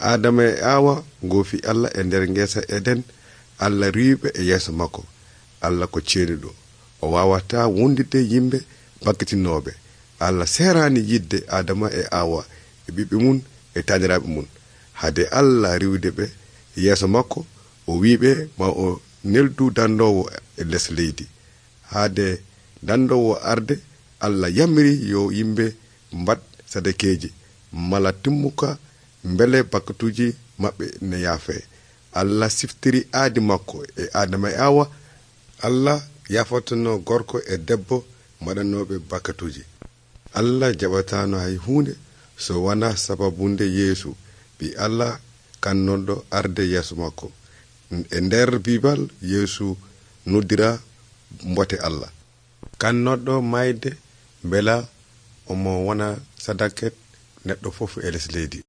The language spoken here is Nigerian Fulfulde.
Adama e Awa goofi Allah e nder ngesa Eden. Allah riiɓe e yeeso makko. Allah ko ceeniɗo, o wawata wondide yimɓe bakkitinoɓe. Allah serani yidde Adama e Awa e ɓiɓɓe mun e taniraɓe mun. Hade Allah riwde ɓe yeeso makko, o wiɓe ma o neldu dandowo e les leydi. Hade dandowo arde, Allah yamiri yo yimɓe mbat sadakeji mala timmuka mbele bakkatuji maɓɓe ne yaafe. Allah siftiri aadi makko e Adama e Awa. Allah yafotono gorko e debbo mbaɗanoɓe bakkatuji. Allah jaɓatano hay hunde so wana sababunde Yeesu bi Allah kannonɗo arde yeeso makko. E nder Bible Yeesu noddira mbote Allah kannonɗo mayde bela omo wona sadaket neɗɗo fof e les leydi.